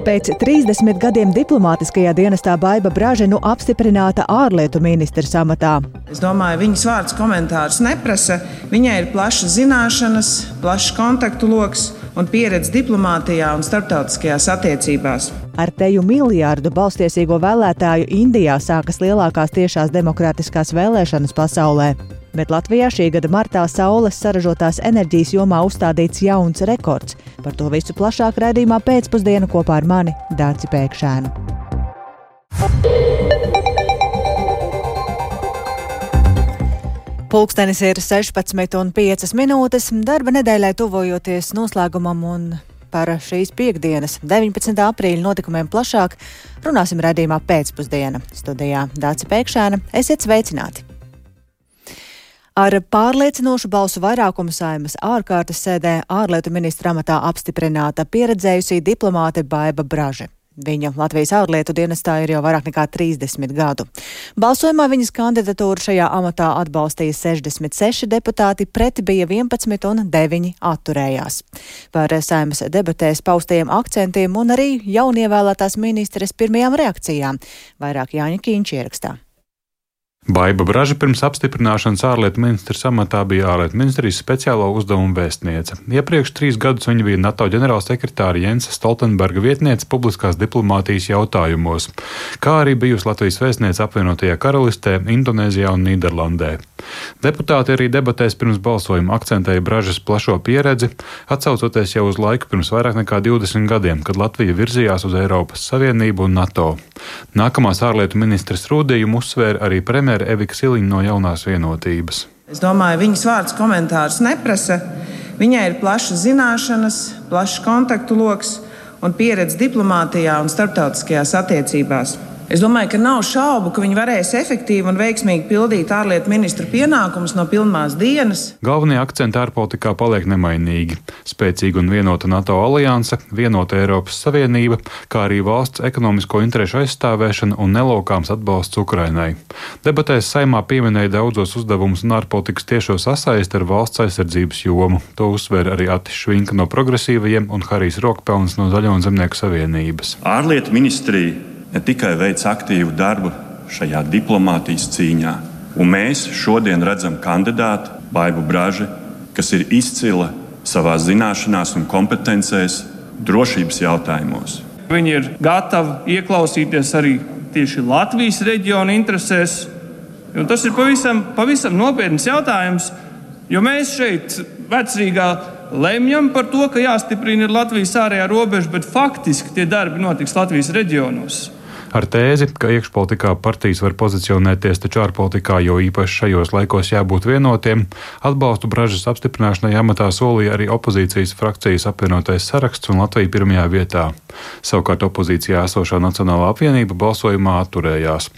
Pēc 30 gadiem diplomātiskajā dienestā Baiba Braže apstiprināta ārlietu ministres amatā. Es domāju, viņas vārds komentārus neprasa. Viņai ir plašas zināšanas, plašs kontaktu loks un pieredze diplomātijā un starptautiskajās attiecībās. Ar teju miljārdu balstiesīgo vēlētāju Indijā sākas lielākās tiešās demokrātiskās vēlēšanas pasaulē. Bet Latvijā šī gada martā saules saražotās enerģijas jomā uzstādīts jauns rekords. Par to visu plašāk raidījumā pēcpusdienu kopā ar mani, Dārci Pēkšēnu. Pulkstenis ir 16:05. Darba nedēļai tuvojoties noslēgumam un par šīs piektdienas, 19. aprīļa notikumiem plašāk runāsim raidījumā pēcpusdiena. Studijā Dārci Pēkšēna. Esiet sveicināti! Ar pārliecinošu balsu vairākumu Saeimas ārkārtas sēdē ārlietu ministra amatā apstiprināta pieredzējusī diplomāte Baiba Braže. Viņa Latvijas ārlietu dienestā ir jau vairāk nekā 30 gadu. Balsojumā viņas kandidatūru šajā amatā atbalstīja 66 deputāti, pret bija 11 un 9 atturējās. Par Saeimas debatēs paustajiem akcentiem un arī jaunievēlētās ministres pirmajām reakcijām vairāk Jāņa Kīņš ierakstā. Baiba Braže pirms apstiprināšanas ārlietu ministres amatā bija ārlietu ministrijas speciālo uzdevumu vēstniece. Iepriekš 3 gadus viņa bija NATO ģenerālsekretāra Jensa Stoltenberga vietniece publiskās diplomātijas jautājumos, kā arī bijusi Latvijas vēstniece apvienotajā Karalistē, Indonēzijā un Nīderlandē. Deputāti arī debatēs pirms balsojuma akcentēja Bražas plašo pieredzi, atsaucoties jau uz laiku pirms vairāk nekā 20 gadiem, kad Latvija virzījās uz Eiropas Savienību un NATO. Nākamās ārlietu ministres rūdījumu uzsvēra arī premjera Evika Siliņa no Jaunās vienotības. Es domāju, viņas vārds komentārus neprasa. Viņai ir plašas zināšanas, plašs kontaktu loks un pieredze diplomātijā un starptautiskajās attiecībās. Es domāju, ka nav šaubu, ka viņi varēs efektīvi un veiksmīgi pildīt ārlietu ministru pienākumus no pirmās dienas. Galvenie akcenti ārpolitikā paliek nemainīgi. Spēcīga un vienota NATO alianse, vienota Eiropas Savienība, kā arī valsts ekonomisko interešu aizstāvēšana un nelaukāms atbalsts Ukrainai. Debatēs Saeimā pieminēja daudzos uzdevumus un ārpolitikas tiešo sasaisti ar valsts aizsardzības jomu. To uzsver arī Atis Švinka no Progresīvajiem un Harijs Rokpelns no Zaļo un Zemnieku savienības. Ārlietu ministrija ne tikai veic aktīvu darbu šajā diplomātijas cīņā, un mēs šodien redzam kandidātu Baibu Braži, kas ir izcila savā zināšanās un kompetencēs drošības jautājumos. Viņi ir gatavi ieklausīties arī tieši Latvijas reģiona interesēs, un tas ir pavisam nopietns jautājums, jo mēs šeit Vecrīgā lemjam par to, ka jāstiprina Latvijas ārējā robeža, bet faktiski tie darbi notiks Latvijas reģionos. Ar tēzi, ka iekšpolitikā partijas var pozicionēties, taču ārpolitikā, jo īpaši šajos laikos jābūt vienotiem, atbalstu Bražas apstiprināšanai amatā solīja arī opozīcijas frakcijas apvienotais saraksts un Latvija pirmajā vietā. Savukārt opozīcijā esošā Nacionālā apvienība balsojumā atturējās.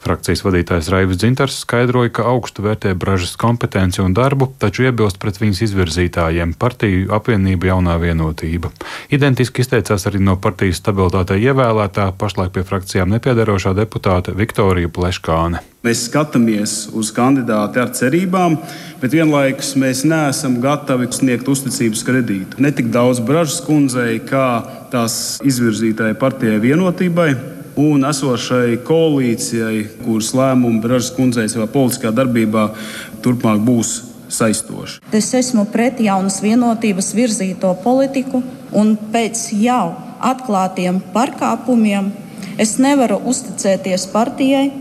Frakcijas vadītājs Raivis Dzintars skaidroja, ka augstu vērtē Bražas kompetenci un darbu, taču iebilst pret viņas izvirzītājiem partiju apvienība Jaunā vienotība. Identiski izteicās arī no partijas stabilitātei ievēlētā, pašlaik pie frakcijas nepiederošā deputāte Viktorija Pleškāne. Mēs skatāmies uz kandidāti ar cerībām, bet vienlaikus mēs neesam gatavi sniegt uzticības kredītu. Ne tik daudz Bražas kundzei, kā tās izvirzītāji partijai vienotībai un esošai koalīcijai, kuras lēmumi Bražas kundzei savā politiskā darbībā turpmāk būs saistoši. Es esmu pret Jaunas vienotības virzīto politiku un pēc jau atklātiem pārkāpumiem es nevaru uzticēties partijai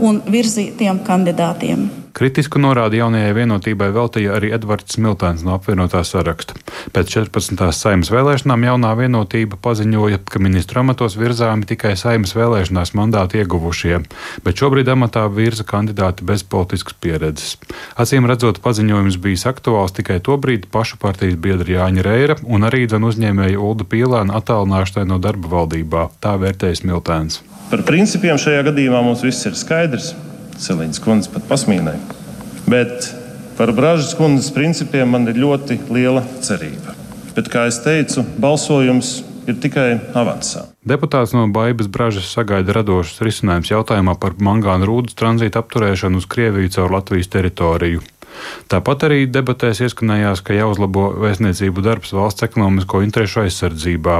un virzītiem kandidātiem. Kritisku norādi Jaunajai vienotībai veltīja arī Edvards Smiltēns no apvienotā saraksta. Pēc 14. Saeimas vēlēšanām Jaunā vienotība paziņoja, ka ministru amatos virzāmi tikai Saeimas vēlēšanās mandātu ieguvušie, bet šobrīd amatā virza kandidāti bez politiskas pieredzes. Acīm redzot, paziņojums bijis aktuāls tikai tobrīd pašu partijas biedra Jāņa Reira un arī uzņēmēja Ulda Pīlēna attālināšanai no darba valdībā. Tā vērtēja Smiltēns. Par principiem šajā gadījumā mums viss ir skaidrs. Siliņas kundze pat pasmīnēja. Bet par Bražas kundzes principiem man ir ļoti liela cerība. Bet, kā es teicu, balsojums ir tikai avansā. Deputāts no Baibas Bražas sagaida radošus risinājumus jautājumā par mangāna rūdas tranzīta apturēšanu uz Krieviju caur Latvijas teritoriju. Tāpat arī debatēs ieskanējās, ka jāuzlabo vēstniecību darbs valsts ekonomisko interešu aizsardzībā,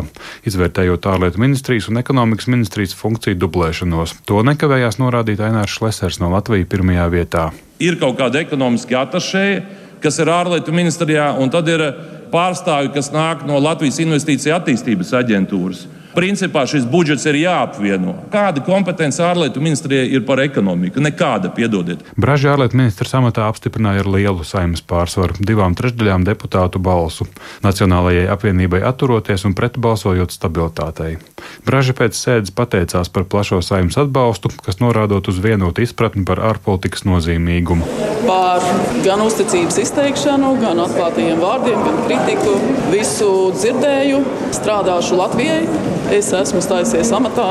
izvērtējot ārlietu ministrijas un ekonomikas ministrijas funkciju dublēšanos. To nekavējās norādīt Ainārs Šlesers no Latvijas pirmajā vietā. Ir kaut kāda ekonomiski atašēja, kas ir ārlietu ministrijā, un tad ir pārstāvji, kas nāk no Latvijas Investīcija attīstības aģentūras. Principā šis budžets ir jāapvieno. Kāda kompetence ārlietu ministrijai ir par ekonomiku? Nekāda, piedodiet. Braži ārlietu ministrs amatā apstiprināja ar lielu Saeimas pārsvaru, 2/3 deputātu balsu, Nacionālajai apvienībai atturoties un pretbalsojot stabilitātei. Braži pēc sēdes pateicās par plašo Saeimas atbalstu, kas norādot uz vienotu izpratni par ārpolitikas nozīmīgumu. Par gan uzticības izteikšanu, gan atklātajiem vārdiem, gan kritiku. Visu dzirdēju, strādāšu Latvijai. Es esmu stājusies amatā,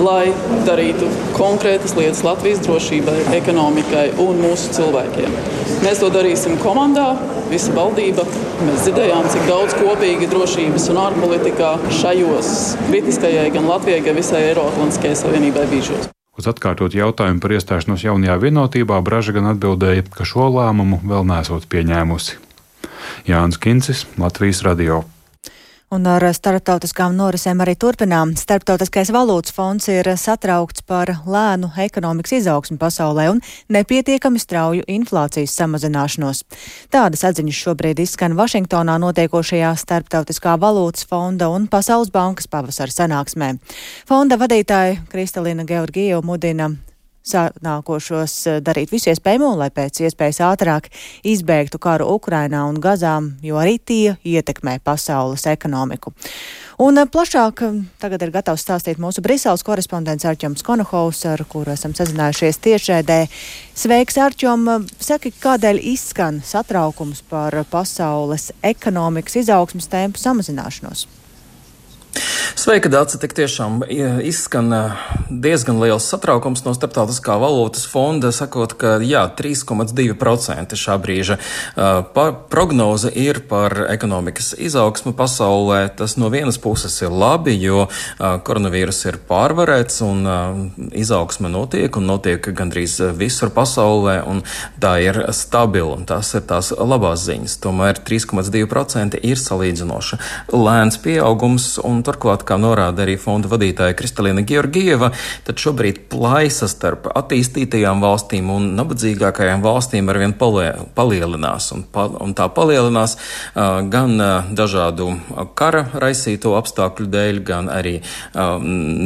lai darītu konkrētas lietas Latvijas drošībai, ekonomikai un mūsu cilvēkiem. Mēs to darīsim komandā, visa valdība. Mēs dzirdējām, cik daudz kopīgi drošības un ārpolitikā šajos kritiskajai gan Latvijai, gan visai Eiroatlantiskajai Savienībai bīžos. Uz atkārtot jautājumu par iestāšanos jaunajā vienotībā Braža gan atbildēja, ka šo lēmumu vēl nesot pieņēmusi. Jānis Kincis, Latvijas radio. Un ar starptautiskām norisēm arī turpinām. Starptautiskais valūtas fonds ir satraukts par lēnu ekonomikas izaugsmi pasaulē un nepietiekami strauju inflācijas samazināšanos. Tādas atziņas šobrīd izskan Vašingtonā notiekošajā Starptautiskā valūtas fonda un Pasaules bankas pavasara sanāksmē. Fonda vadītāja Kristalina Georgieva mudina sanākošos darīt visu iespējamo, lai pēc iespējas ātrāk izbeigtu karu Ukrainā un Gazā, jo arī tie ietekmē pasaules ekonomiku. Un plašāk tagad ir gatavs stāstīt mūsu Briseles korespondents Arķoms Konohovs, ar kuru esam sazinājušies tiešraidē. Sveiks, Arķom! Saki, kādēļ izskan satraukums par pasaules ekonomikas izaugsmes tempu samazināšanos? Sveika, Dāce, tik tiešām izskan diezgan liels satraukums no Starptautiskā valūtas fonda, sakot, ka 3,2% šā brīža prognoze ir par ekonomikas izaugsmu pasaulē. Tas no vienas puses ir labi, jo koronavīrus ir pārvarēts un izaugsme notiek un notiek gandrīz visur pasaulē, un tā ir stabila, un tās ir tās labās ziņas. Tomēr 3,2% ir salīdzinoši lēns pieaugums, un turklāt, kā norāda arī fonda vadītāja Kristalina Georgieva, tad šobrīd plaisa starp attīstītajām valstīm un nabadzīgākajām valstīm arvien palielinās. Un tā palielinās gan dažādu kara raisīto apstākļu dēļ, gan arī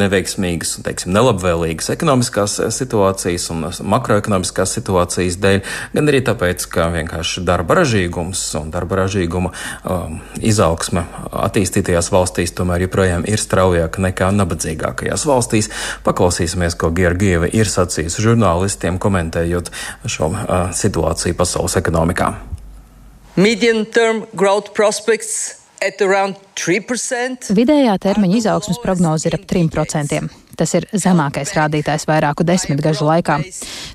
neveiksmīgas, nelabvēlīgas ekonomiskās situācijas un makroekonomiskās situācijas dēļ, gan arī tāpēc, ka vienkārši darba ražīgums un darba ražīguma izaugsme attīstītajās valstīs tomēr joprojām ir straujāka nekā nabadzīgākajās valstīs. Paklausīsimies, ko Georgieva ir sacījusi žurnālistiem, komentējot šo situāciju pasaules ekonomikā. Medium-term growth prospects at around 3%. Vidējā termiņa izaugsmes prognoze ir ap 3%. Tas ir zemākais rādītājs vairāku desmitgažu laikā.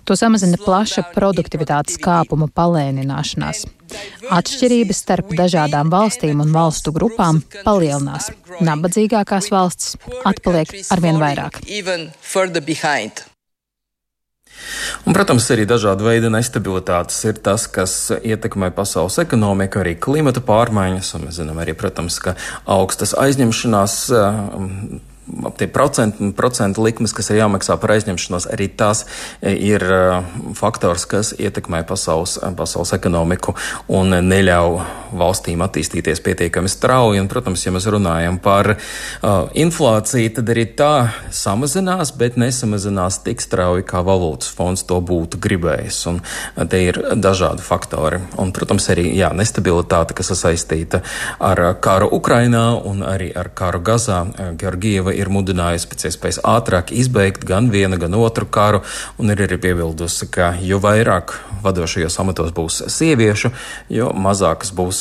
To samazina plaša produktivitātes kāpuma palēnināšanās. Atšķirības starp dažādām valstīm un valstu grupām palielinās. Nabadzīgākās valstis atpaliek arvien vairāk. Un, protams, arī dažāda veida nestabilitātes ir tas, kas ietekmē pasaules ekonomiku, arī klimata pārmaiņas, un mēs zinām arī, protams, ka augstas aizņemšanās tie procentu likmes, kas ir jāmaksā par aizņemšanos, arī tās ir faktors, kas ietekmē pasaules ekonomiku un neļauj valstīm attīstīties pietiekami strauji. Un, protams, ja mēs runājam par inflāciju, tad arī tā samazinās, bet nesamazinās tik strauji, kā valūtas fonds to būtu gribējis. Un te ir dažādi faktori. Un, protams, arī nestabilitāte, kas ir saistīta ar karu Ukrainā un arī ar karu Gazā. Georgieva ir mudinājusi pēc iespējas ātrāk izbeigt gan vienu, gan otru karu, un ir arī piebildusi, ka jo vairāk vadošajos amatos būs sieviešu, jo mazākas būs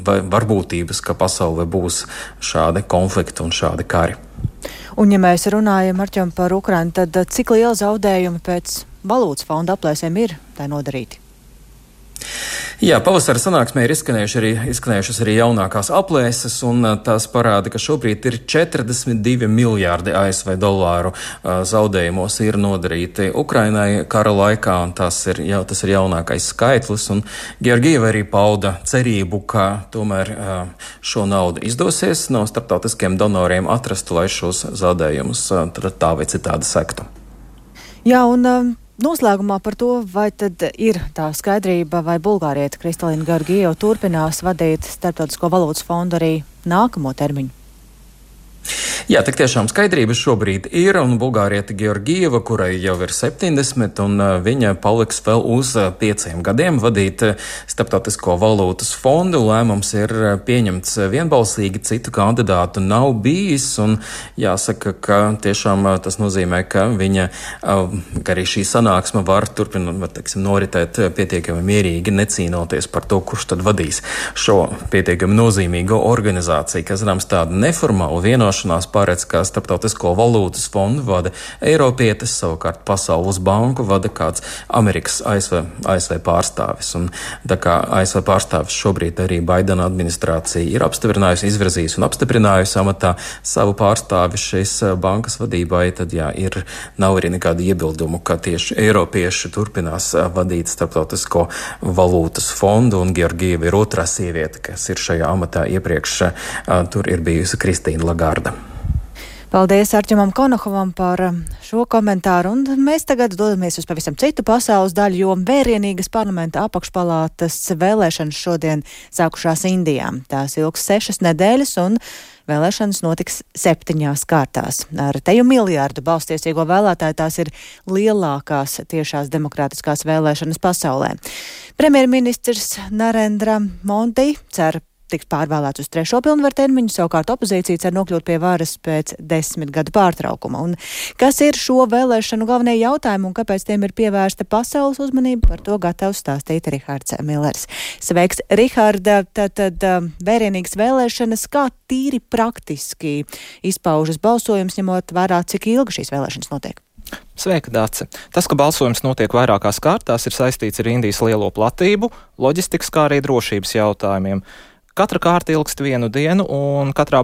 varbūtības, ka pasaulē būs šādi konflikti un šādi kari. Un ja mēs runājam, Arķom, par Ukrainu, tad cik liela zaudējumi pēc valūtas fonda aplēsēm ir tai nodarīti? Jā, pavasara sanāksmē ir izskanējušas arī jaunākās aplēses, un tās parāda, ka šobrīd ir 42 miljārdi ASV dolāru zaudējumos ir nodarīti Ukrainai kara laikā, un tas ir jaunākais skaitlis, un Georgieva arī pauda cerību, ka tomēr šo naudu izdosies no starptautiskiem donoriem atrast, lai šos zaudējumus tā vai citādi sektu. Jā, un noslēgumā par to, vai tad ir tā skaidrība, vai bulgāriete Kristalīna Georgieva turpinās vadīt Starptautisko valūtas fondu arī nākamo termiņu? Jā, tik tiešām skaidrība šobrīd ir, un bulgāriete Georgieva, kurai jau ir 70, un viņa paliks vēl uz 5 gadiem vadīt Starptautisko valūtas fondu. Lēmums ir pieņemts vienbalsīgi, citu kandidātu nav bijis, un jāsaka, ka tiešām tas nozīmē, ka ka arī šī sanāksme var noritēt pietiekami mierīgi, necīnoties par to, kurš tad vadīs šo pietiekami nozīmīgo organizāciju, kas zināms tāda neformāla vienošanās paredz, ka Starptautisko valūtas fondu vada Eiropietis, savukārt Pasaules banku vada kāds Amerikas ASV pārstāvis. Un tā kā ASV pārstāvis šobrīd arī Baidena administrācija ir apstiprinājusi, izvirzījusi un apstiprinājusi amatā savu pārstāvi šīs bankas vadībai, tad nav arī nekāda iebildumu, ka tieši Eiropieši turpinās vadīt Starptautisko valūtas fondu, un Georgieva ir otrā sieviete, kas ir šajā amatā iepriekš. Tur ir bijusi Kristīna Lagarda. Paldies Arķimam Konohovam par šo komentāru, un mēs tagad dodamies uz pavisam citu pasaules daļu, jo vērienīgas parlamenta apakšpalātas vēlēšanas šodien sākušās Indijā. Tās ilgs 6 nedēļas, un vēlēšanas notiks 7 kārtās. Ar teju miljārdu balstiesīgo vēlētāju tās ir lielākās tiešās demokrātiskās vēlēšanas pasaulē. Premjerministrs Narendra Modi cer tiks pārvēlēts uz 3. pilnvaru termiņu, savukārt opozīcija cer nokļūt pie varas pēc 10 gadu pārtraukuma. Un kas ir šo vēlēšanu galvenie jautājumi un kāpēc tiem ir pievērsta pasaules uzmanība, par to gatavs stāstīt Rihards Millers. Sveiks, Riharda, tad vērienīgas vēlēšanas, kā tīri praktiski izpaužas balsojums, ņemot vērā, cik ilgi šīs vēlēšanas notiek? Sveika, Dāce! Tas, ka balsojums notiek vairākās kārtās, ir saistīts ar Indijas lielo platību, loģistikas, kā arī drošības jautājumiem. Katra kārta ilgst 1 dienu, un katrā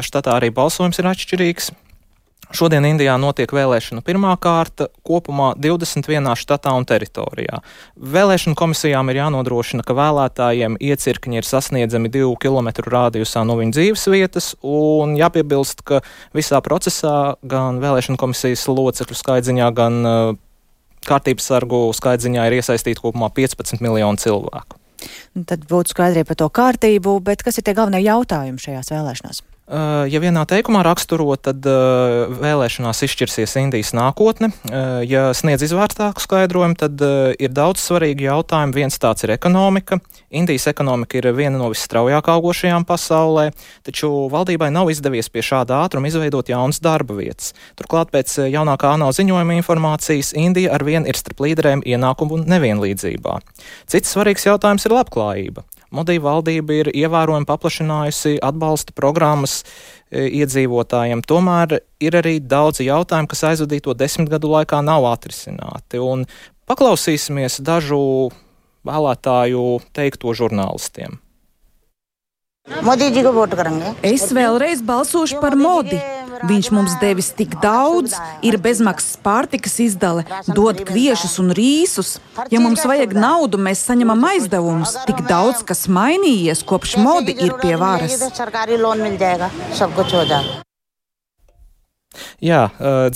štatā arī balsojums ir atšķirīgs. Šodien Indijā notiek vēlēšanu pirmā kārta, kopumā 21 štatā un teritorijā. Vēlēšanu komisijām ir jānodrošina, ka vēlētājiem iecirkņi ir sasniedzami 2 kilometru rādijusā no viņu dzīves vietas, un jāpiebilst, ka visā procesā gan vēlēšanu komisijas locekļu skaitziņā, gan kārtības sargu skaitziņā ir iesaistīti kopumā 15 miljoni cilvēku. Tad būtu skaidrība par to kārtību, bet kas ir tie galvenie jautājumi šajās vēlēšanās? Ja vienā teikumā raksturot, tad vēlēšanās izšķirsies Indijas nākotne. Ja sniedz izvērtāku skaidrojumu, tad ir daudz svarīgi jautājumi. Viens tāds ir ekonomika. Indijas ekonomika ir viena no visstraujāk augošajām pasaulē, taču valdībai nav izdevies pie šāda ātruma izveidot jaunas darba vietas. Turklāt pēc jaunākā ANO ziņojuma informācijas Indija arvien ir starp līderēm ienākumu nevienlīdzībā. Cits svarīgs jautājums ir labklājība. Modi valdība ir ievērojami paplašinājusi atbalsta programmas iedzīvotājiem, tomēr ir arī daudzi jautājumi, kas aizvadīto 10 gadu laikā nav atrisināti. Un paklausīsimies dažu vēlētāju teikto žurnālistiem. Es vēlreiz balsošu par Modi. Viņš mums devis tik daudz, ir bezmaksas pārtikas izdale, dod kviešus un rīsus. Ja mums vajag naudu, mēs saņemam aizdevumus. Tik daudz, kas mainījies, kopš Modi ir pie varas. Jā,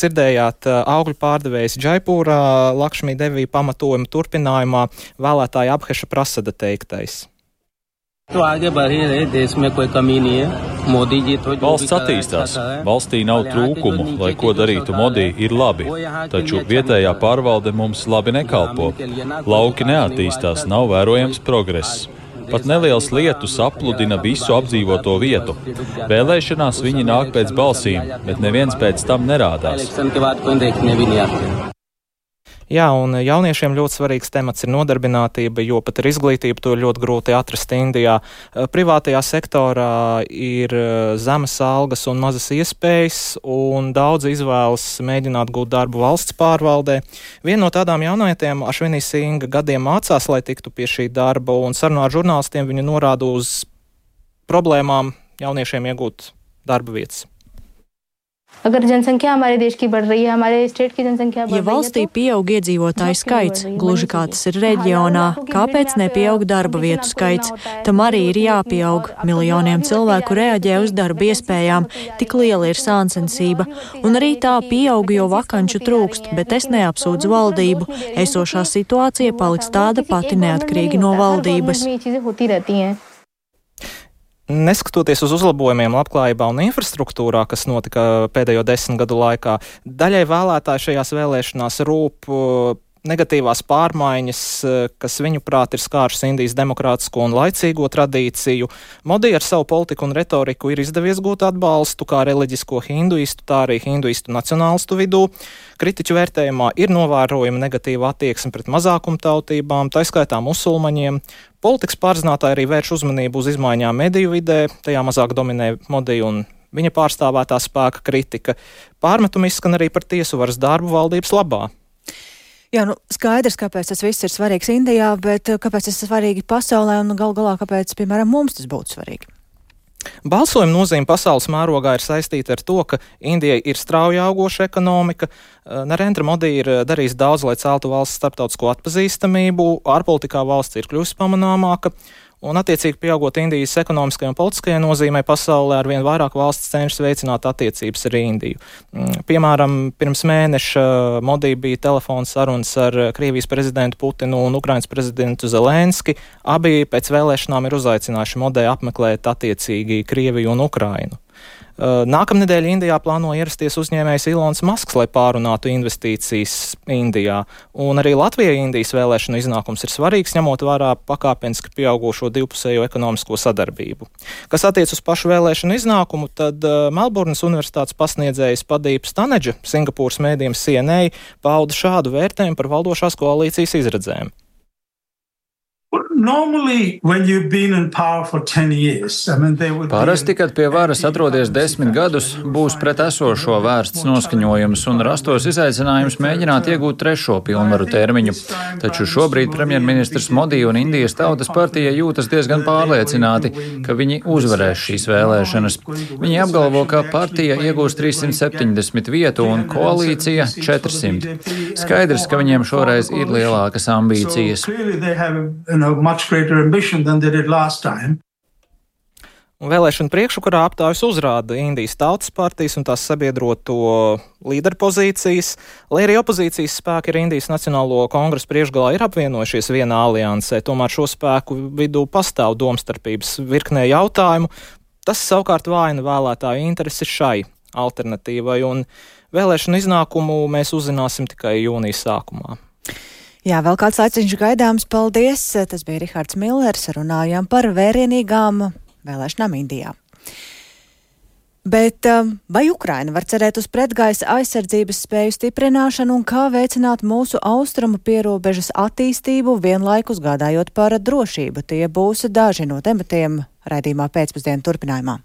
dzirdējāt augļu pārdevējs Džaipūrā Lakšmī Devī pamatojuma turpinājumā vēlētāja Abheša Prasada teiktais. Valsts attīstās. Valstī nav trūkumu, lai ko darītu Modi, ir labi. Taču vietējā pārvalde mums labi nekalpo. Lauki neattīstās, nav vērojams progress. Pat neliels lietus apludina visu apdzīvoto vietu. Vēlēšanās viņi nāk pēc balsīm, bet neviens pēc tam nerādās. Jā, un jauniešiem ļoti svarīgs temats ir nodarbinātība, jo pat ar izglītību to ir ļoti grūti atrast Indijā. Privātajā sektorā ir zemes algas un mazas iespējas, un daudz izvēlas mēģināt gūt darbu valsts pārvaldē. Viena no tādām jaunietēm, Ašvinī Singa, gadiem mācās, lai tiktu pie šī darba, un sarunā ar žurnālistiem viņa norāda uz problēmām jauniešiem iegūt darba vietas. Ja valstī pieaug iedzīvotāju skaits, gluži kā tas ir reģionā, kāpēc nepieaug darba vietu skaits? Tam arī ir jāpieaug. Miljoniem cilvēku reaģē uz darba iespējām, tik liela ir sāncensība. Un arī tā pieaug, jo vakanču trūkst, bet es neapsūdzu valdību. Esošā situācija paliks tāda pati neatkarīgi no valdības. Neskatoties uz uzlabojumiem labklājībā un infrastruktūrā, kas notika pēdējo 10 gadu laikā, daļai vēlētāji šajās vēlēšanās rūp negatīvās pārmaiņas, kas viņuprāt ir skāršas Indijas demokrātisko un laicīgo tradīciju. Modi ar savu politiku un retoriku ir izdevies gūt atbalstu kā reliģisko hinduistu, tā arī hinduistu nacionālistu vidū. Kritiķu vērtējumā ir novērojama negatīva attieksme pret mazākumtautībām, tā skaitā musulmaņiem. Politikas pārzinātāji arī vērš uzmanību uz izmaiņām mediju vidē, tajā mazāk dominē Modi un viņa pārstāvētā spēka kritika. Pārmetumi izskan arī par tiesu varas darbu valdības labā. Jā, skaidrs, kāpēc tas viss ir svarīgs Indijā, bet kāpēc tas ir svarīgi pasaulē un gal galā, kāpēc, piemēram, mums tas būtu svarīgi? Balsojuma nozīme pasaules mērogā ir saistīta ar to, ka Indijai ir strauji augoša ekonomika. Narendra Modi ir darījis daudz, lai celtu valsts starptautisko atpazīstamību, ārpolitikā valsts ir kļuvusi pamanāmāka. Un, attiecīgi, pieaugot Indijas ekonomiskajai un politiskajai nozīmei pasaulē, arvien vairāk valsts cenšas veicināt attiecības ar Indiju. Piemēram, pirms mēneša Modi bija telefons sarunas ar Krievijas prezidentu Putinu un Ukrainas prezidentu Zelenski. Abi pēc vēlēšanām ir uzaicinājuši Modi apmeklēt attiecīgi Krieviju un Ukrainu. Nākamnedēļ Indijā plāno ierasties uzņēmējs Ilons Masks, lai pārunātu investīcijas Indijā. Un arī Latvijai Indijas vēlēšanu iznākums ir svarīgs, ņemot vērā pakāpeniski pieaugušo divpusējo ekonomisko sadarbību. Kas attiec uz pašu vēlēšanu iznākumu, tad Melburnas universitātes pasniedzējs Padīp Stanedža Singapūras mēdījiem CNA pauda šādu vērtējumu par valdošās koalīcijas izredzēm. Parasti, kad pie varas atrodies 10 gadus, būs pret esošo vērsts noskaņojums un rastos izaicinājums mēģināt iegūt trešo pilnvaru termiņu. Taču šobrīd premjerministrs Modi un Indijas Tautas partija jūtas diezgan pārliecināti, ka viņi uzvarēs šīs vēlēšanas. Viņi apgalvo, ka partija iegūs 370 vietu un koalīcija 400. Skaidrs, ka viņiem šoreiz ir lielākas ambīcijas. Un vēlēšana priekšvakarā aptaujas uzrāda Indijas Tautas partijas un tās sabiedroto līderu pozīcijas, lai arī opozīcijas spēki ar Indijas Nacionālo kongresu priekšgalā ir apvienojušies vienā aliansē, tomēr šo spēku vidū pastāv domstarpības virknē jautājumu. Tas savukārt vājina vēlētāju interesi šai alternatīvai, un vēlēšanu iznākumu mēs uzzināsim tikai jūnijas sākumā. Jā, vēl kāds laiciņš gaidāms, paldies. Tas bija Rihards Millers, runājām par vērienīgām vēlēšanām Indijā. Bet vai Ukraina var cerēt uz pretgaisa aizsardzības spēju stiprināšanu un kā veicināt mūsu austrumu pierobežas attīstību, vienlaikus gādājot par drošību? Tie būs daži no tematiem raidījumā pēcpusdienu turpinājumā.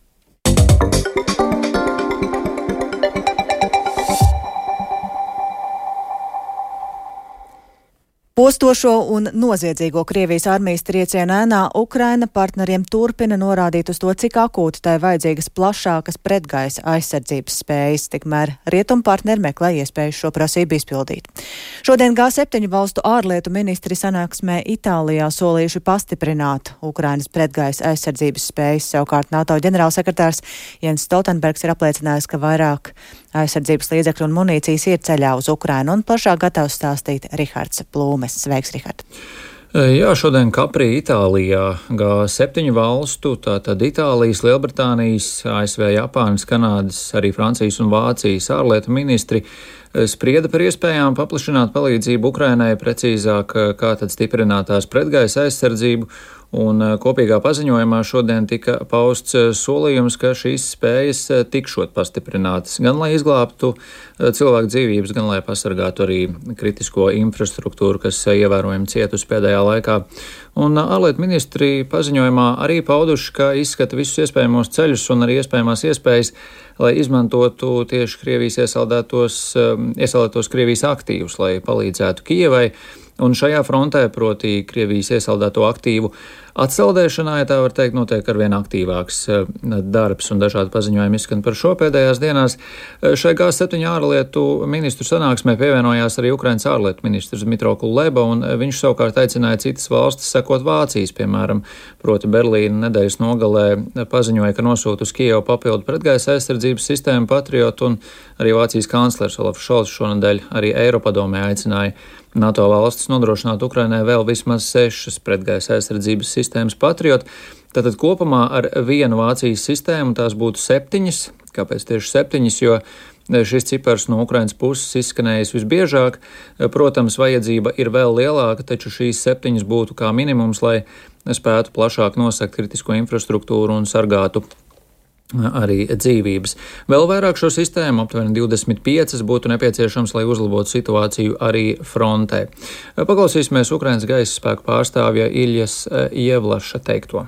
Postošo un noziedzīgo Krievijas armijas triecienu ēnā Ukraina partneriem turpina norādīt uz to, cik akūti tai vajadzīgas plašākas pretgaisa aizsardzības spējas, tikmēr rietumu partneri meklē iespēju šo prasību izpildīt. Šodien G7 valstu ārlietu ministri sanāksmē Itālijā solījuši pastiprināt Ukrainas pretgaisa aizsardzības spējas, savukārt NATO ģenerālsekretārs Jens Stoltenbergs ir apliecinājis, ka vairāk aizsardzības līdzekļu un munīcijas ir ceļā uz Ukrainu, un plašāk gatavs stāstīt Rihards Plūmes. Sveiks, Rihard! Jā, šodien Kaprī, Itālijā, G7 valstu, tātad Itālijas, Lielbritānijas, ASV, Japānas, Kanādas, arī Francijas un Vācijas ārlietu ministri sprieda par iespējām paplašināt palīdzību Ukrainai, precīzāk, kā tad stiprināt tās pretgaisa aizsardzību, Un kopīgā paziņojumā šodien tika pausts solījums, ka šīs spējas tikšot pastiprinātas, gan lai izglābtu cilvēku dzīvības, gan lai pasargātu arī kritisko infrastruktūru, kas ievērojami cietusi pēdējā laikā. Un ārlietu ministri paziņojumā arī pauduši, ka izskata visus iespējamos ceļus un arī iespējamās iespējas, lai izmantotu tieši Krievijas iesaldētos Krievijas aktīvus, lai palīdzētu Kijevai. Un šajā frontē, proti Krievijas iesaldēto aktīvu atsaldēšanā, ja tā var teikt, notiek arvien aktīvāks darbs un dažādi paziņojumi izskan par šo pēdējās dienās. Šai G7 ārlietu ministru sanāksmē pievienojās arī Ukrainas ārlietu ministrs Dmitro Kuleba, un viņš savukārt aicināja citas valstis sekot Vācijas, piemēram, proti Berlīna nedēļas nogalē paziņoja, ka nosūta uz Kijevu papildu pretgaisa aizsardzības sistēmu Patriot, un arī Vācijas kanclers Olafs Šolts šonedēļ arī Eiropadomē aicināja NATO valstis nodrošināt Ukrainai vēl vismaz 6 pretgaisa aizsardzības sistēmas Patriot. Tātad kopumā ar vienu Vācijas sistēmu tās būtu 7. Kāpēc tieši 7? Jo šis cipars no Ukrainas puses izskanējis visbiežāk. Protams, vajadzība ir vēl lielāka, taču šīs 7 būtu kā minimums, lai spētu plašāk nosegt kritisko infrastruktūru un sargātu arī dzīvības. Vēl vairāk šo sistēmu, aptuveni 25, būtu nepieciešams, lai uzlabotu situāciju arī frontē. Paklausīsimies Ukrainas gaisa spēku pārstāvja Iljas Jevlaša teikto.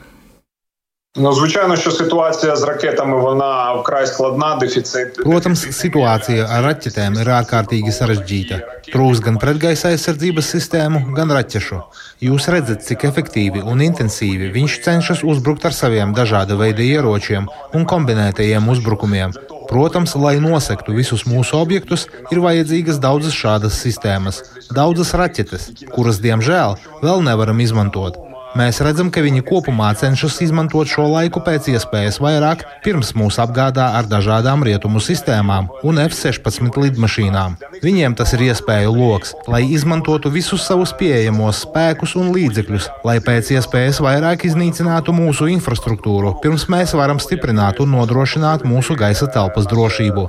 Звичайно, що ситуація з ракетами, вона вкрай складна, дефіцит. Protams, situācija ar raķetēm ir ārkārtīgi sarežģīta. Trūks gan pretgaisa aizsardzības sistēmu, gan raķešu. Jūs redzat, cik efektīvi un intensīvi viņš cenšas uzbrukt ar saviem dažāda veida ieročiem un kombinētajiem uzbrukumiem. Protams, lai nosektu visus mūsu objektus, ir vajadzīgas daudzas šādas sistēmas, daudzas raķetes, kuras, diemžēl, vēl nevaram izmantot. Mēs redzam, ka viņi kopumā cenšas izmantot šo laiku pēc iespējas vairāk, pirms mūs apgādā ar dažādām rietumu sistēmām un F-16 lidmašīnām. Viņiem tas ir iespēju loks, lai izmantotu visus savus pieejamos spēkus un līdzekļus, lai pēc iespējas vairāk iznīcinātu mūsu infrastruktūru, pirms mēs varam stiprināt un nodrošināt mūsu gaisa telpas drošību.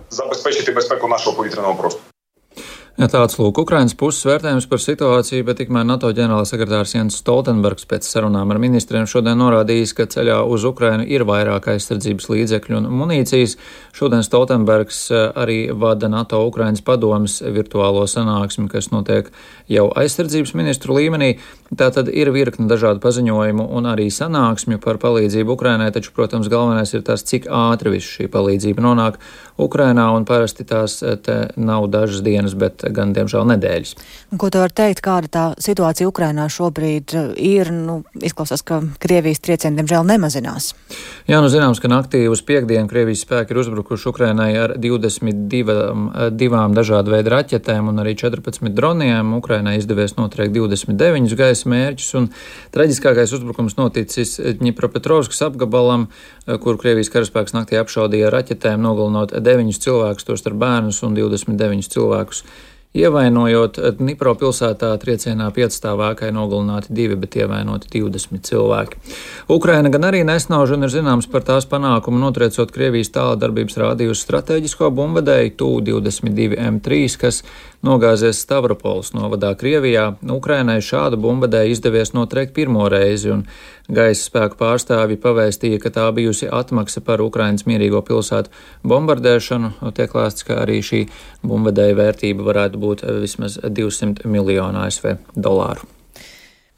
Tāds lūk Ukrainas puses vērtējums par situāciju, bet tikmēr NATO ģenerālsekretārs Jens Stoltenbergs pēc sarunām ar ministriem šodien norādījis, ka ceļā uz Ukrainu ir vairāk aizsardzības līdzekļu un munīcijas. Šodien Stoltenbergs arī vada NATO Ukrainas padomes virtuālo sanāksmi, kas notiek jau aizsardzības ministru līmenī. Tātad ir virkne dažādu paziņojumu un arī sanāksmju par palīdzību Ukrainai, taču, protams, galvenais ir tas, cik ātri viss šī palīdzība nonāk Ukrainā, un parasti tās te nav dažas dienas, bet gan, diemžēl, nedēļas. Ko tu vari teikt, kāda tā situācija Ukrainā šobrīd ir? Izklausās, ka Krievijas triecieni, diemžēl, nemazinās. Jā, zināms, ka naktī uz piekdienu Krievijas spēki ir uzbrukuši Ukrainai ar 22 dažādu veidu raķetēm un arī 14 droniem. Ukrainai izdevies notriekt 29 gaisa mērķus, un traģiskākais uzbrukums noticis Ņipropetrovskas apgabalam, kur Krievijas karaspēks naktī apšaudīja raķetēm, nogalinot 9 cilvēkus, tostarp bērnus un 29 cilvēkus. Ievainojot Dnipro pilsētā triecienā 5-stāvēkai nogalināti 2, bet ievainoti 20 cilvēki. Ukraina gan arī nesnauž un ir zināms par tās panākumu notriecot Krievijas tāldarbības rādījusi strateģisko bumbvedēju Tu-22 M3, kas nogāzies Stavropoles novadā Krievijā. Ukrainai šādu bumbvedēju izdevies notriekt pirmo reizi, un gaisa spēku pārstāvji pavēstīja, ka tā bijusi atmaksa par Ukrainas mierīgo pilsētu bombardēšanu. Tiek lēsts, ka arī šī bumbvedēja vērtība varētu būt vismaz 200 miljonu ASV dolāru.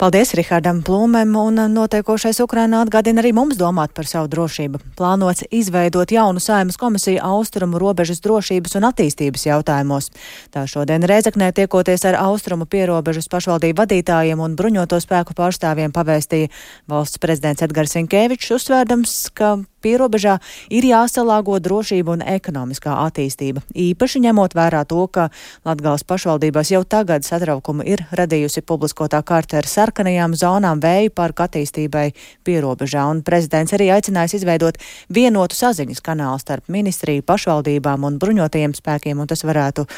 Paldies Rihardam Plūmēm, un notiekošais Ukrainā atgādina arī mums domāt par savu drošību. Plānots izveidot jaunu Saeimas komisiju austrumu robežas drošības un attīstības jautājumos. Tā šodien Rēzeknē tiekoties ar austrumu pierobežas pašvaldību vadītājiem un bruņoto spēku pārstāvjiem pavēstīja valsts prezidents Edgars Rinkevičs, uzsvērdams, ka pierobežā ir jāsalāgo drošība un ekonomiskā attīstība, īpaši ņemot vērā to, ka Latgales pašvaldībās jau tagad satraukumu ir radījusi publiskotā kārta ar sarkanajām zonām vēju parku attīstībai pierobežā, un prezidents arī aicinājis izveidot vienotu saziņas kanālu starp ministriju, pašvaldībām un bruņotajiem spēkiem, un tas varētu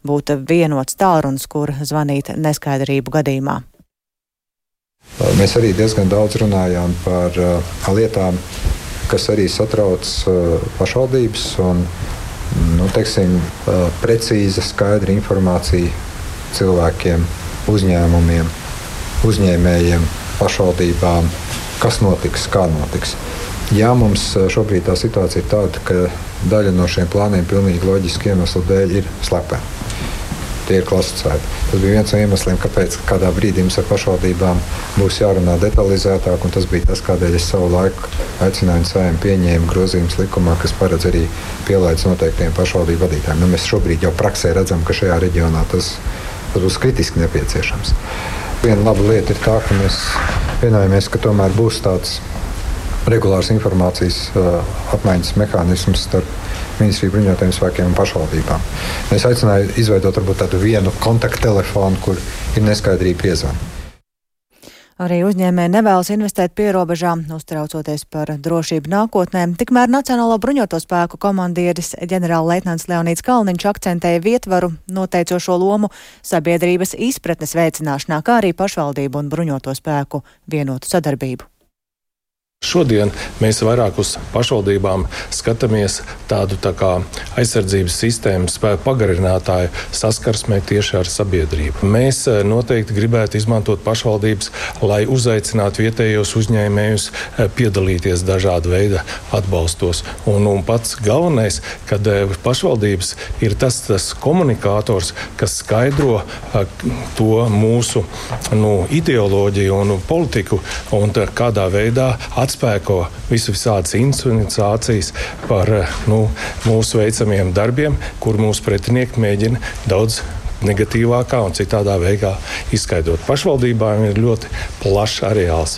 būt vienots tālrunis, kur zvanīt neskaidrību gadījumā. Mēs arī diezgan daudz runājām par lietām, kas arī satrauc pašvaldības un, precīza, skaidra informācija cilvēkiem, uzņēmumiem, uzņēmējiem, pašvaldībām kas notiks, kā notiks. Jā, mums šobrīd tā situācija ir tāda, ka daļa no šiem plāniem pilnīgi loģiski iemeslu dēļ ir slepeni. Tie ir klasificēti. Tas bija viens no iemesliem, kāpēc kādā brīdī mums ar pašvaldībām būs jārunā detalizētāk, un tas bija tas, kādēļ es savu laiku aicināju Saeimu pieņēmu grozījumus likumā, kas paredz arī pielaidus noteiktiem pašvaldību vadītājiem. Mēs šobrīd jau praksē redzam, ka šajā reģionā tas būs kritiski nepieciešams. Viena laba lieta ir tā, ka mēs vienojamies, ka tomēr būs tāds regulārs informācijas apmaiņas mehānisms starp Ministriju bruņotajiem spēkiem un pašvaldībām. Es aicināju izveidot varbūt tādu vienu kontakttelefonu, kur ir neskaidrība piezvana. Arī uzņēmēji nevēlas investēt pierobežā, uztraucoties par drošību nākotnē. Tikmēr Nacionālo bruņoto spēku komandieris ģenerālleitnants Leonīds Kalniņš akcentēja vietvaru noteicošo lomu sabiedrības izpratnes veicināšanā, kā arī pašvaldību un bruņoto spēku vienotu sadarbību. Šodien mēs vairāk uz pašvaldībām skatāmies tādu tā kā aizsardzības sistēmu spēku pagarinātāju saskarsmē tieši ar sabiedrību. Mēs noteikti gribētu izmantot pašvaldības, lai uzaicinātu vietējos uzņēmējus piedalīties dažāda veida atbalstos. Un pats galvenais, kad pašvaldības ir tas komunikators, kas skaidro to mūsu ideoloģiju un politiku un kādā veidā atspēko visādas insinuācijas par mūsu veicamiem darbiem, kur mūsu pretinieki mēģina daudz negatīvākā un citādā veidā izskaidrot. Pašvaldībām ir ļoti plašs areāls.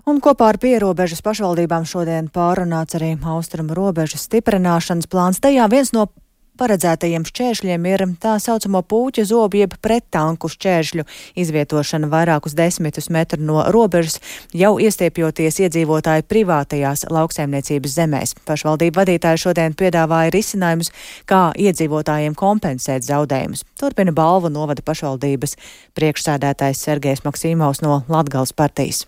Un kopā ar pierobežas pašvaldībām šodien pārunāts arī austrumu robežas stiprināšanas plāns. Tajā viens no paredzētajiem šķēršļiem ir tā saucamo pūķa zobu jeb prettanku šķēršļu izvietošana vairākus 10 metru no robežas, jau iestiepjoties iedzīvotāju privātajās lauksaimniecības zemēs. Pašvaldību vadītāji šodien piedāvāja risinājumus, kā iedzīvotājiem kompensēt zaudējumus. Turpina Balvu novada pašvaldības priekšsēdētājs Sergejs Maksimovs no Latgales partijas.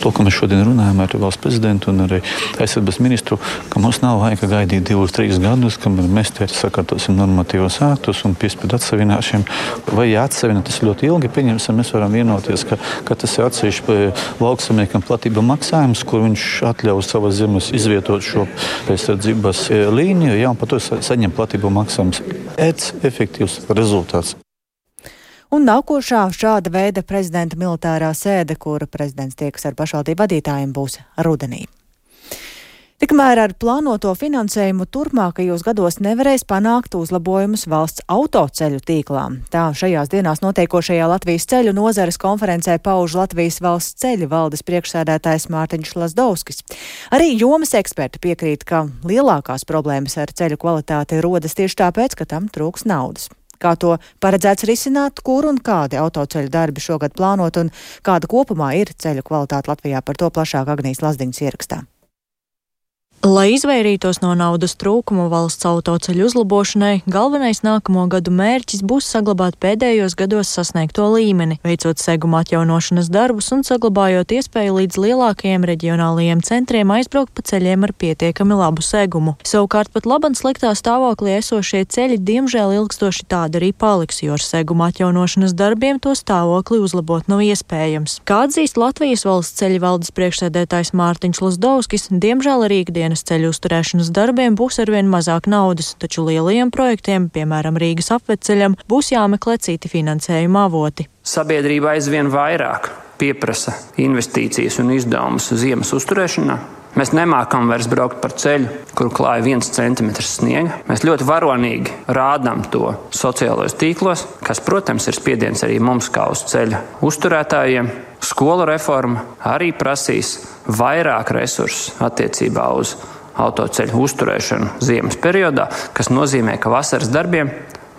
To, ko mēs šodien runājam ar valsts prezidentu un arī aizsardzības ministru, ka mums nav laika gaidīt 2-3 gadus, kamēr mēs te sakārtosim normatīvos aktus un piespiedu atsavināšiem. Vai jāatsavina tas ļoti ilgi, pieņemsim, mēs varam vienoties, ka tas ir atsevišķi lauksaimniekam platība maksājums, kur viņš atļaus savas zemes izvietot šo aizsardzības līniju, un par to saņem platību maksājums. Efektīvs rezultāts. Un nākošā šāda veida prezidenta militārā sēde, kura prezidents tiekas ar pašvaldību vadītājiem, būs rudenī. Tikmēr ar plānoto finansējumu turpmākajos gados nevarēs panākt uzlabojumus valsts autoceļu tīklām. Tā šajās dienās notiekošajā Latvijas ceļu nozares konferencē pauž Latvijas valsts ceļu valdes priekšsēdētājs Mārtiņš Lazdovskis. Arī jomas eksperti piekrīt, ka lielākās problēmas ar ceļu kvalitāti rodas tieši tāpēc, ka tam trūks naudas. Kā to paredzēts risināt, kur un kādi autoceļu darbi šogad plānot un kāda kopumā ir ceļu kvalitāte Latvijā, par to plašāk Agnijas Lazdiņas ierakstā. Lai izvairītos no naudas trūkuma valsts autoceļu uzlabošanai, galvenais nākamo gadu mērķis būs saglabāt pēdējos gados sasniegto līmeni, veicot seguma atjaunošanas darbus un saglabājot iespēju līdz lielākajiem reģionālajiem centriem aizbraukt pa ceļiem ar pietiekami labu segumu. Savukārt pat laban sliktā stāvoklī esošie ceļi diemžēl ilgstoši tādi arī paliks, jo ar seguma atjaunošanas darbiem to stāvokli uzlabot nav iespējams. Kā atzīst Latvijas valsts ceļu valdes priekšsēdētājs Mārtiņš Lazdovskis, diemžēl arī ikdienas ceļu uzturēšanas darbiem būs arvien mazāk naudas, taču lielajiem projektiem, piemēram Rīgas apveceļam, būs jāmeklē citi finansējuma avoti. Sabiedrība aizvien vairāk pieprasa investīcijas un izdevumus ziemas uzturēšanā. Mēs nemākam vairs braukt par ceļu, kur klāja 1 centimetrs sniega. Mēs ļoti varonīgi rādām to sociālajos tīklos, kas, protams, ir spiediens arī mums kā uz ceļa uzturētājiem. Skolu reforma arī prasīs vairāk resursu attiecībā uz autoceļu uzturēšanu ziemas periodā, kas nozīmē, ka vasaras darbiem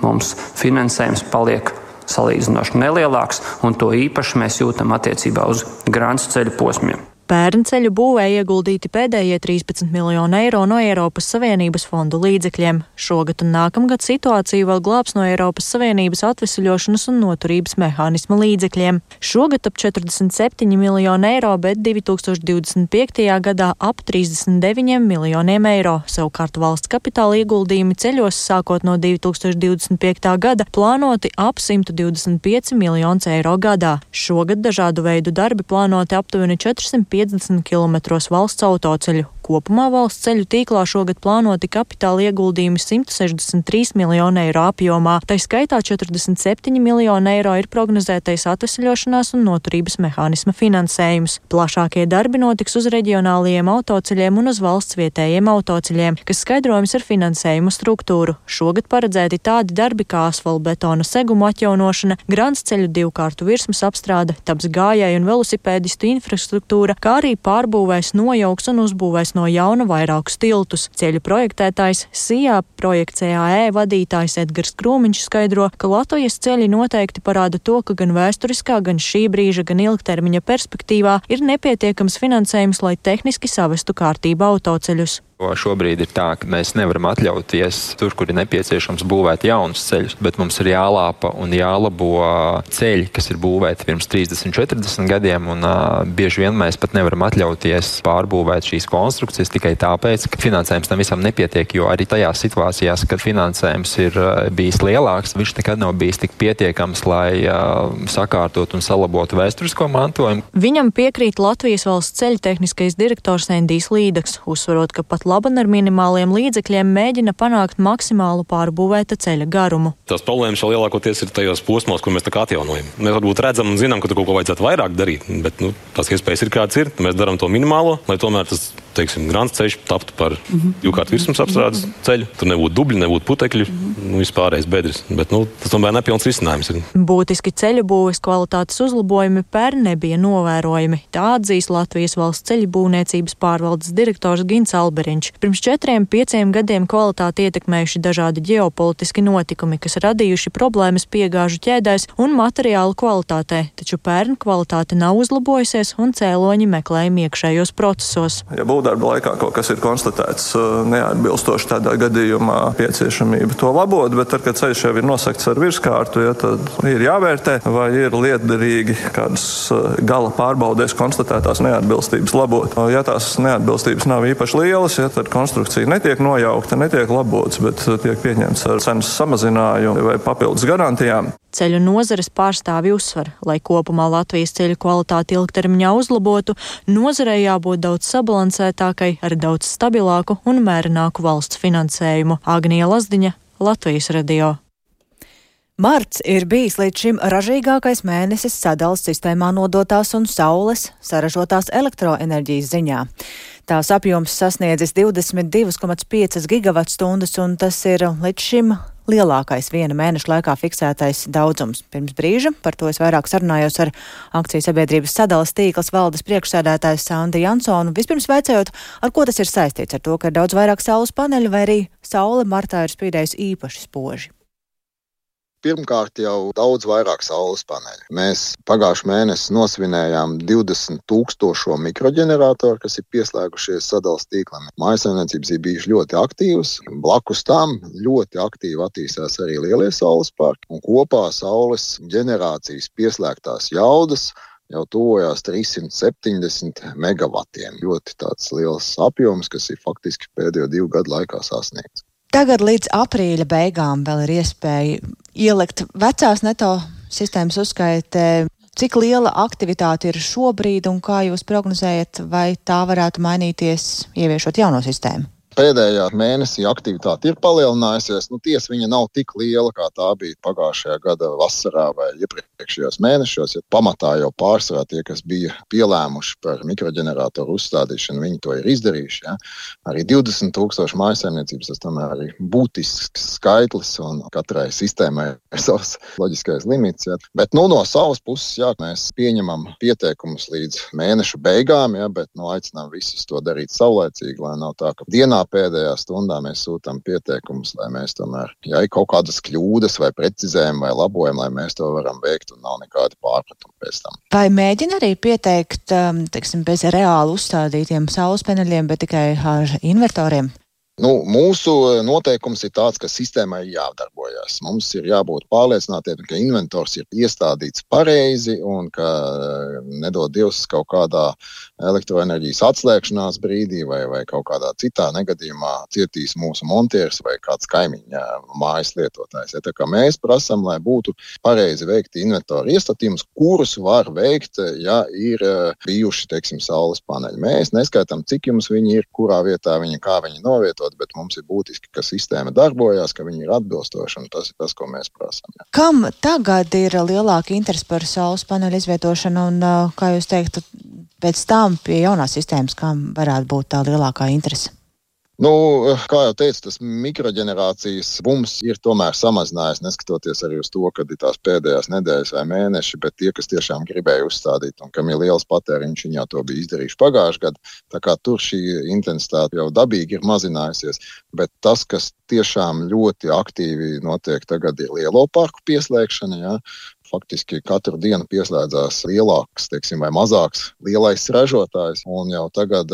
mums finansējums paliek salīdzinoši nelielāks, un to īpaši mēs jūtam attiecībā uz Grāncu ceļu posmiem. Pērn ceļu būvē ieguldīti pēdējie 13 miljoni eiro no Eiropas Savienības fondu līdzekļiem. Šogad un nākamgad situāciju vēl glābs no Eiropas Savienības atvesaļošanas un noturības mehānisma līdzekļiem. Šogad ap 47 miljoni eiro, bet 2025. gadā ap 39 miljoniem eiro. Savukārt valsts kapitāla ieguldījumi ceļos sākot no 2025. gada plānoti ap 125 miljonus eiro gadā. Šogad dažādu veidu darbi plānoti aptuveni 450 kilometros valsts autoceļu. Kopumā valsts ceļu tīklā šogad plānoti kapitāla ieguldījumi 163 miljonu eiro apjomā. Tai skaitā 47 miljonu eiro ir prognozētais atvesaļošanās un noturības mehānisma finansējums. Plašākie darbi notiks uz reģionālajiem autoceļiem un uz valsts vietējiem autoceļiem, kas skaidrojums ar finansējumu struktūru. Šogad paredzēti tādi darbi kā asfaltbetona segumu atjaunošana, grants ceļu divkārtu virsmas apstrāde, taps gājēju un velosipēdistu infrastruktūra, kā arī pārbūvēs, nojauks un uzbūvēs no jauna vairākus tiltus. Ceļu projektētājs SIA projekts EAE vadītājs Edgars Krūmiņš skaidro, ka Latvijas ceļi noteikti parāda to, ka gan vēsturiskā, gan šī brīža, gan ilgtermiņa perspektīvā ir nepietiekams finansējums, lai tehniski savestu kārtībā autoceļus. Šobrīd ir tā, ka mēs nevaram atļauties tur, kur ir nepieciešams būvēt jaunus ceļus, bet mums ir jālāpa un jālabo ceļi, kas ir būvēti pirms 30-40 gadiem, un bieži vien mēs pat nevaram atļauties pārbūvēt šīs konstrukcijas tikai tāpēc, ka finansējums tam visam nepietiek, jo arī tajās situācijās, kad finansējums ir bijis lielāks, viņš nekad nav bijis tik pietiekams, lai sakārtot un salabotu vēsturisko mantojumu. Viņam piekrīt Latvijas valsts ceļu tehniskais direktors Endijs Līdaks, uzsverot, ka pat laban ar minimāliem līdzekļiem mēģina panākt maksimālu pārbūvēta ceļa garumu. Tās problēmas jau lielākoties ir tajos posmos, kur mēs tā kā atjaunojam. Mēs varbūt redzam un zinām, ka tur kaut ko vajadzētu vairāk darīt, bet tās iespējas ir kāds ir. Mēs darām to minimālo, lai tomēr tas, grants ceļš taptu par divkārtu virsmas apstrādes ceļu. Tur nebūtu dubļi, nebūtu putekļi, vispārējais bedres. Bet tas tomēr nepilns risinājums ir. Būtiski ceļu būves kvalitātes uzlabojumi pērn nebija novērojami. Tā atzīs Latvijas valsts ceļu būvniecības pārvaldes direktors Gins Alberiņš. Pirms 4-5 gadiem kvalitāti ietekmējuši dažādi ģeopolitiski notikumi, kas radījuši problēmas piegāžu ķēdēs un materiālu kvalitātē, taču pērn kvalitāte nav uzlabojusies un cēloņi meklējumi iekšējos procesos. Ja būvdarba laikā kaut kas ir konstatēts neatbilstoši, tādā gadījumā pieciešamība to labot, bet tad, kad ceļš jau ir nosegts ar virskārtu, tad ir jāvērtē, vai ir lietderīgi kādas gala pārbaudēs konstatētās neatbilstības labot. Ja tās neatbilstības nav īpaši lielas, tad konstrukcija netiek nojaukta, netiek labots, bet tiek pieņemts ar cenas samazinājumu vai papildus garantijām. Ceļu nozares pārstāvji uzsver, lai kopumā Latvijas ceļu kvalitāti ilgtermiņā uzlabotu, nozarei jābūt daudz sabalansētākai, ar daudz stabilāku un mērenāku valsts finansējumu. Agnija Lazdiņa, Latvijas radio. Marts ir bijis līdz šim ražīgākais mēnesis sadales sistēmā nodotās un saules saražotās elektroenerģijas ziņā. Tās apjoms sasniedzis 22,5 gigavatstundas, un tas ir līdz šim lielākais viena mēneša laikā fiksētais daudzums. Pirms brīža par to es vairāk sarunājos ar akciju sabiedrības sadales tīklas valdes priekšsēdētājs Sandri Jansonu. Vispirms vaicājot, ar ko tas ir saistīts, ar to, ka ir daudz vairāk saules paneļu, vai arī saule martā ir spīdējusi īpaši spoži? Pirmkārt jau daudz vairāk saules paneļu. Mēs pagājušajā mēnesī nosvinējām 20,000 mikroģeneratoru, kas ir pieslēgušies sadales tīklam. Mājsaimniecības ir bijušas ļoti aktīvas. Blakus tam ļoti aktīvi attīstās arī lielie saules parki. Un kopā saules ģenerācijas pieslēgtās jaudas jau tuvojās 370 megavatiem. Ļoti tāds liels apjoms, kas ir faktiski pēdējo 2 gadu laikā sasniegts. Tagad līdz aprīļa beigām vēl ir iespēja ielikt vecās neto sistēmas uzskaitē. Cik liela aktivitāte ir šobrīd un kā jūs prognozējat, vai tā varētu mainīties, ieviešot jauno sistēmu? Pēdējā mēnesī aktivitāte ir palielinājusies. Tiesa viņa nav tik liela, kā tā bija pagājušajā gada vasarā vai iepriekšējos mēnešos. Ja pamatā jau pārsvarā tie, kas bija pielēmuši par mikroģeneratoru uzstādīšanu, viņi to ir izdarījuši. Ja? Arī 20,000 mājsaimniecības, tas tomēr ir būtisks skaitlis, un katrai sistēmai ir savs loģiskais limits. Ja? Bet no savas puses, jā, mēs pieņemam pieteikumus līdz mēneša beigām, ja? Bet aicinām visus to darīt saulēcīgi, lai nav tā, ka dienā pēdējā stundā mēs sūtām pieteikumus, lai mēs tomēr, ja ir kaut kādas kļūdas vai precizējumi vai labojumi, lai mēs to varam veikt un nav nekādi pārpratumi pēc tam. Vai mēģina arī pieteikt, teiksim, bez reāli uzstādītiem saules paneļiem, bet tikai ar invertoriem? Mūsu noteikums ir tāds, ka sistēmai jādarbojas. Mums ir jābūt pārliecinātiem, ka inventors ir iestādīts pareizi un ka nedod Dievs kaut kādā elektroenerģijas atslēgšanās brīdī vai kaut kādā citā negadījumā cietīs mūsu montieris vai kāds kaimiņa mājas lietotājs. Tā kā mēs prasam, lai būtu pareizi veikti inventoru iestatījums, kurus var veikt, ja ir bijuši, teiksim, saules paneļi. Mēs neskaitām, cik jums viņi ir, kurā vietā viņi, kā viņi novietot, bet mums ir būtiski, ka sistēma darbojās, ka viņi ir atbilstoši, un tas ir tas, ko mēs prasām. Jā. Kam tagad ir lielāka interese par saules paneļu izvietošanu, un, kā jūs teiktu, pēc tam pie jaunās sistēmas, kam varētu būt tā lielākā interese? Kā jau teicu, tas mikroģenerācijas bums ir tomēr samazinājies, neskatoties arī uz to, kad ir tās pēdējās nedēļas vai mēneši, bet tie, kas tiešām gribēja uzstādīt un kam ir liels patēriņš, viņi jau to bija izdarījuši pagājuši gadu, tā kā tur šī intensitāte jau dabīgi ir mazinājusies, bet tas, kas tiešām ļoti aktīvi notiek tagad, ir lielo parku pieslēgšana, jā. Faktiski katru dienu pieslēdzās lielāks, teiksim, vai mazāks lielais ražotājs, un jau tagad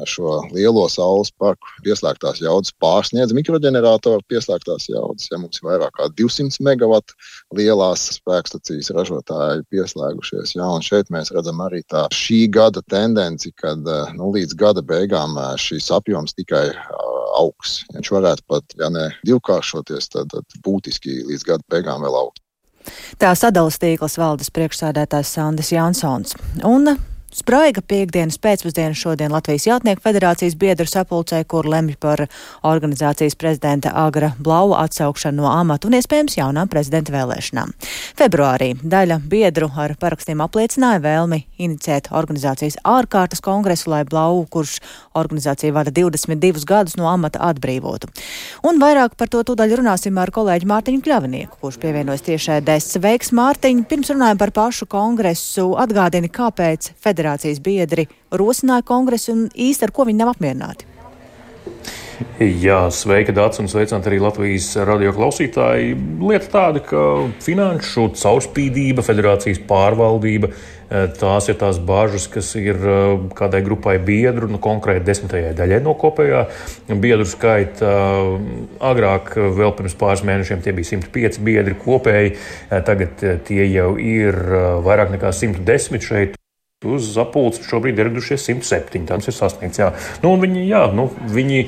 šo lielo saules parku pieslēgtās jaudas pārsniedz mikroģeneratoru pieslēgtās jaudas. Ja mums ir vairāk kā 200 megawatu lielās spēkstacijas ražotāji pieslēgušies, jā, un šeit mēs redzam arī tā šī gada tendenci, kad līdz gada beigām šīs apjoms tikai augs. Viņš varētu pat, ja ne divkāršoties, tad būtiski līdz gada beigām vēl augt. Tā Sadalas tīklas valdes priekšsēdētājs Sandis Jansons. Un spraiga piektdienas pēcpusdiena šodien Latvijas Jātnieku federācijas biedru sapulcē, kur lemj par organizācijas prezidenta Agra Blaua atsaukšanu no amata un iespējams jaunām prezidenta vēlēšanām. Februārī daļa biedru ar parakstiem apliecināja vēlmi inicēt organizācijas ārkārtas kongresu, lai Blau, kurš organizācija vada 22 gadus, no amata atbrīvotu. Un vairāk par to tūdaļ runāsim ar kolēģi Mārtiņu Kļavinieku, kurš pievienojas tiešraidēs. Sveiks, Mārtiņ! Pirms runājam par pašu kongresu, atgādini, kāpēc federācijas biedri rosināja kongresu un īsti ar ko viņi nav apmierināti. Jā, sveika, Dācis, un sveicināti arī Latvijas radio klausītāji. Lieta tāda, ka finanšu caurspīdība, federācijas pārvaldība, tās ir tās bāžas, kas ir kādai grupai biedru, konkrēti 10. daļai no kopējā biedru skaita. Agrāk, vēl pirms pāris mēnešiem, tie bija 105 biedri kopēji, tagad tie jau ir vairāk nekā 110 šeit. Uz sapulci šobrīd ir ieradušies 107. Tas ir sasniegts. Jā. Viņi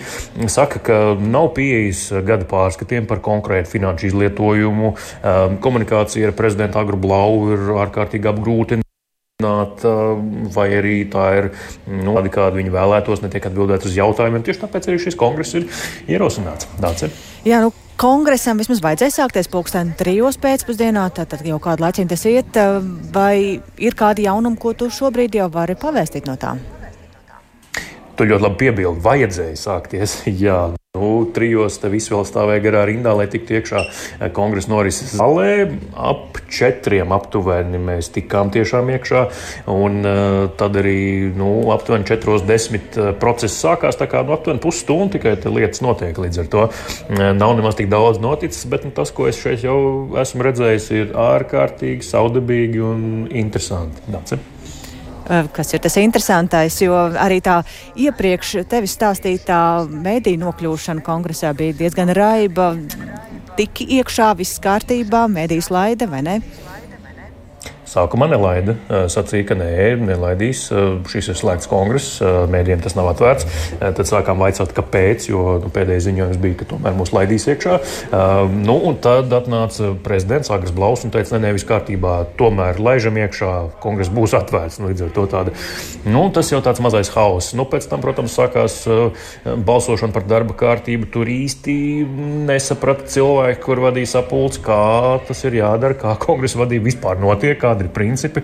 saka, ka nav pieejas gada pārskatiem par konkrētu finanšu izlietojumu. Komunikācija ar prezidentu Agru Blau ir ārkārtīgi apgrūtināta, vai arī tā ir tāda, kāda viņi vēlētos, netiek atbildēt uz jautājumiem. Tieši tāpēc arī šis kongress ir ierosināts. Dācis. Jā, kongresam vismaz vajadzēja sākties 3:00 pēcpusdienā, tātad jau kādu laiciņu tas iet, vai ir kādi jaunumi, ko tu šobrīd jau vari pavēstīt no tām? Tu ļoti labi piebildi, vajadzēja sākties, jā. 3:00 te visi vēl stāvēja garā rindā, lai tiktu iekšā kongresa norises zālē. Ap 4:00 aptuveni mēs tikām tiešām iekšā, un tad arī aptuveni 4:10 process sākās, tā kā aptuveni pusstundu tikai lietas notiek. Līdz ar to nav nemaz tik daudz noticis, bet tas, ko es šeit jau esmu redzējis, ir ārkārtīgi saudabīgi un interesanti. Dācis. Kas ir tas interesantais, jo arī tā iepriekš tevis stāstītā mediju nokļūšana kongresā bija diezgan raiba. Tiki iekšā, viss kārtībā, mediju slaida, vai ne? Sākumā nelaida, sacīja, ka nelaidīs, šis ir slēgts kongress, mēdījiem tas nav atvērts. Tad sākām vaicāt, kāpēc, jo pēdējais ziņojums bija, ka tomēr mūs laidīs iekšā. Un tad atnāca prezidents Agrs Blaus un teica, viss kārtībā, tomēr laižam iekšā, kongress būs atvērts. Līdz ar to tāda, tas jau tāds mazais hauss. Pēc tam, protams, sākās balsošana par darba kārtību. Tur īsti nesaprata cilvēki, kur vadīja sapulci, kā tas ir jādara, kā kongresa vadība vispār notiek, kādi ir principi,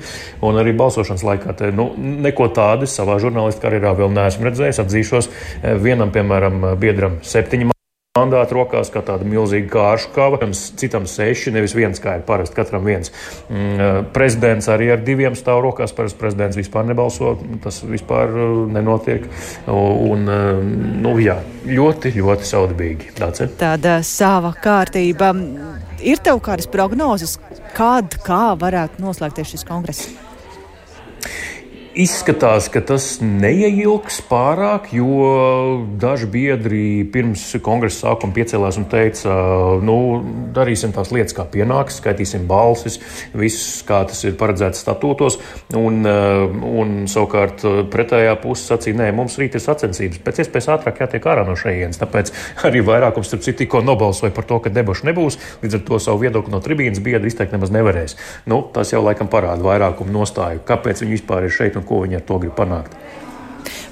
un arī balsošanas laikā te, neko tādu savā žurnālistu karjerā vēl neesmu redzējis. Atzīšos, vienam, piemēram, biedram 7 mandāti rokās kā tāda milzīga kāršu kava, citam 6, nevis 1, kā ir parasti, katram 1. Prezidents arī ar 2 stāv rokās, parasti prezidents vispār nebalso, tas vispār nenotiek. Un, jā, ļoti, ļoti saudabīgi. Tāda sava kārtība. Ir tev kādas prognozes, kā varētu noslēgties šis kongress? Izskatās, ka tas neieilgs pārāk, jo daži biedri pirms kongresa sākuma piecēlās un teica, darīsim tās lietas, kā pienāks, skaitīsim balsis, viss, kā tas ir paredzēts statūtos, un savukārt pretējā puse sacīja, nē, mums rīt ir sacensības, pēc iespējas ātrāk jātiek ārā no šejienes, tāpēc arī vairākums, starp citu, tikko nobalsoja par to, ka debašu nebūs, līdz ar to savu viedokli no tribīnas biedri izteikt nemaz nevarēs. Tas jau laikam parāda vairākumu nostāju, kāpēc viņi vispār ir šeit un ko viņi ar to grib panākt.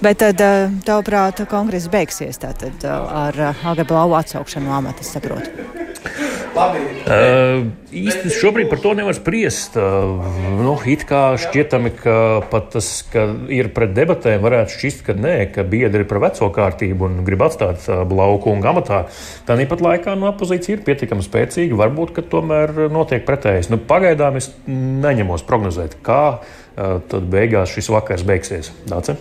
Bet tad, tavuprāt, kongress beigsies tātad ar AG Blau atsaukšanu no amata, es saprotu? Īsti šobrīd par to nevar spriest. It kā šķietami, ka pat tas, ka ir pret debatēm, varētu šķist, ka nē, ka biedri ir par veco kārtību un grib atstāt Blau kungu amatā. Tāpat laikā opozīcija ir pietiekami spēcīga, varbūt, ka tomēr notiek pretējais. Pagaidām es neņemos prognozēt, kā tad beigās šis vakars beigsies. Dāce?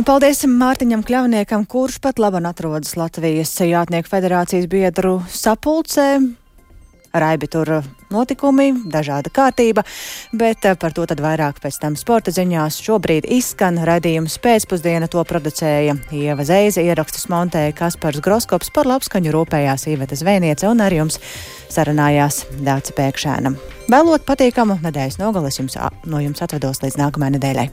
Paldies Mārtiņam Kļavniekam, kurš pat labam atrodas Latvijas Jātnieku federācijas biedru sapulcē. Raibi tur notikumi, dažāda kārtība, bet par to tad vairāk pēc tam sporta ziņās. Šobrīd izskan raidījums Pēcpusdiena, to producēja Ieva Zeize, ierakstus montēja Kaspars Groskops, par labskaņu rūpējās Iveta Zvēniece un ar jums sarunājās Dāca Pēkšēna. Vēlot patīkamu nedēļas nogali, no jums atvedos līdz nākamajai nedēļai.